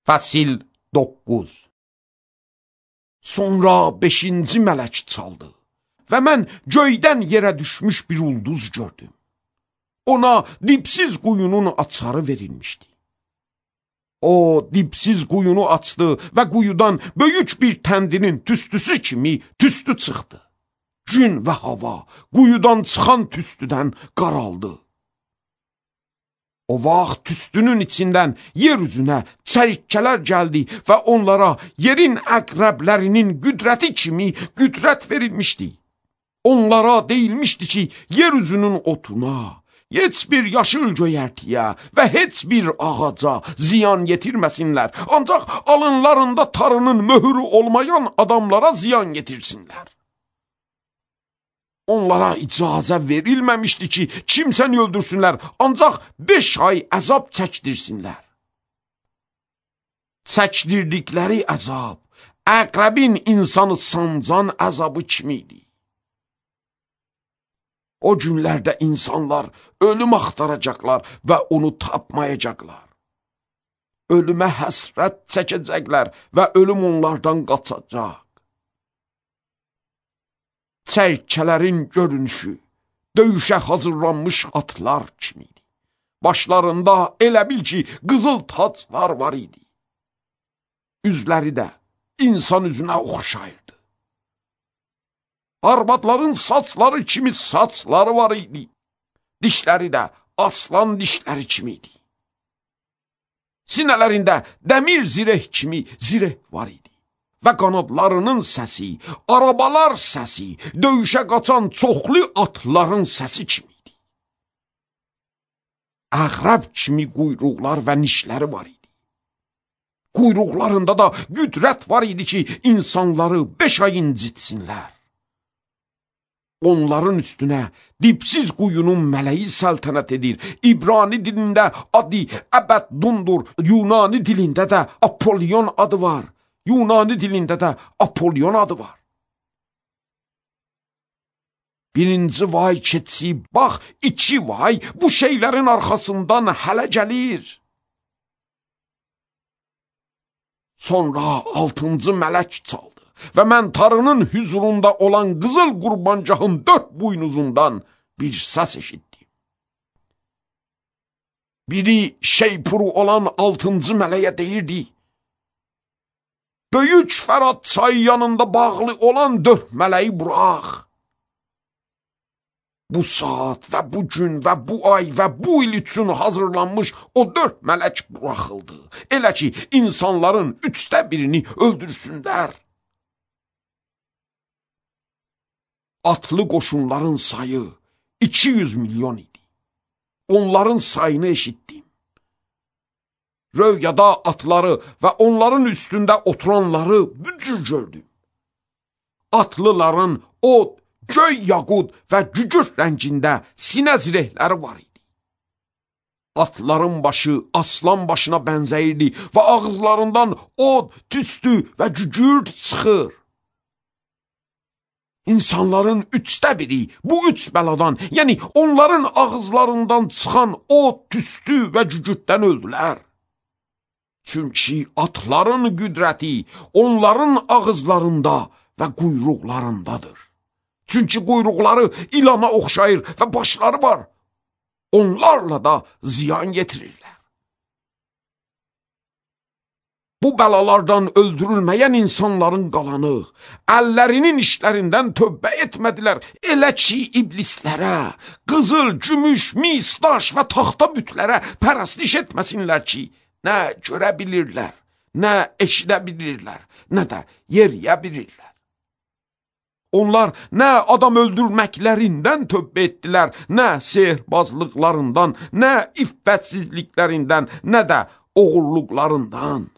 Fəsil 9. Sonra 5-ci mələk çaldı və mən göydən yerə düşmüş bir ulduz gördüm. Ona dipsiz quyunun açarı verilmişdi. O dipsiz quyunu açdı və quyudan böyük bir təndirin tüstüsü kimi tüstü çıxdı. Gün və hava quyudan çıxan tüstüdən qaraldı. O vaxt tüstünün içindən yer üzünə çəlikkələr gəldi və onlara yerin əqrəblərinin qüdrəti kimi qüdrət verilmişdi. Onlara deyilmişdi ki, yer üzünün otuna, heç bir yaşıl göyərtiyə və heç bir ağaca ziyan yetirməsinlər. Ancaq alınlarında tarının möhürü olmayan adamlara ziyan yetirsinlər. Onlara icazə verilməmişdi ki, kimsəni öldürsünlər, ancaq 5 ay əzab çəkdirsinlər. Çəkdirdikləri əzab, əqrəbin insanı sancan əzabı kimiydi. O günlərdə insanlar ölüm axtaracaqlar və onu tapmayacaqlar. Ölümə həsrət çəkəcəklər və ölüm onlardan qaçacaq. Çərkələrin görünüşü döyüşə hazırlanmış atlar kimiydi. Başlarında elə bil ki, qızıl taclar var idi. Üzləri də insan üzünə oxşayırdı. Arvadların saçları kimi saçları var idi. Dişləri də aslan dişləri kimiydi. Sinələrində dəmir zireh kimi zireh var idi. Və qanadlarının səsi, arabalar səsi, döyüşə qaçan çoxlu atların səsi kimiydi. Əqrəb kimi quyruqlar və nişləri var idi. Quyruqlarında da qüdrət var idi ki, insanları 5 ay incitsinlər. Onların üstünə dipsiz quyunun mələyi səltənət edir. İbrani dilində adı Əbəddundur, Yunani dilində də Apollyon adı var. Yunani dilində də Apollyon adı var. Birinci vay keçsi, bax 2 vay bu şeylərin arxasından hələ gəlir. Sonra 6-cı mələk çaldı və mən tarının hüzurunda olan qızıl qurbancağın 4 buynuzundan bir səs eşitdim. Biri şeypuru olan 6-cı mələyə deyirdi: Böyük Fərat çayı yanında bağlı olan 4 mələyi burax. Bu saat və bu gün və bu ay və bu il üçün hazırlanmış o 4 mələk buraxıldı. Elə ki, insanların 1/3 öldürsünlər. Atlı qoşunların sayı 200 milyon idi. Onların sayını eşitdim. Röyada atları və onların üstündə oturanları bücür gördüm. Atlıların od, göy yaqud və cücür rəngində sinə zirehləri var idi. Atların başı aslan başına bənzəyirdi və ağızlarından od, tüstü və cücür çıxır. İnsanların 1/3 bu 3 bəladan, yəni onların ağızlarından çıxan od, tüstü və cücürdən öldülər. Çünki atların qüdrəti onların ağızlarında və quyruqlarındadır. Çünki quyruqları ilana oxşayır və başları var. Onlarla da ziyan yetirirlər. Bu bəlalardan öldürülməyən insanların qalanı, əllərinin işlərindən tövbə etmədilər. Elə ki, iblislərə, qızıl, gümüş, mis, daş və taxta bütlərə pərəstiş etməsinlər ki, nə görə bilirlər, nə eşidə bilirlər, nə də yeriyə bilirlər. Onlar nə adam öldürməklərindən tövbə etdilər, nə sehrbazlıqlarından, nə iffətsizliklərindən, nə də oğurluqlarından.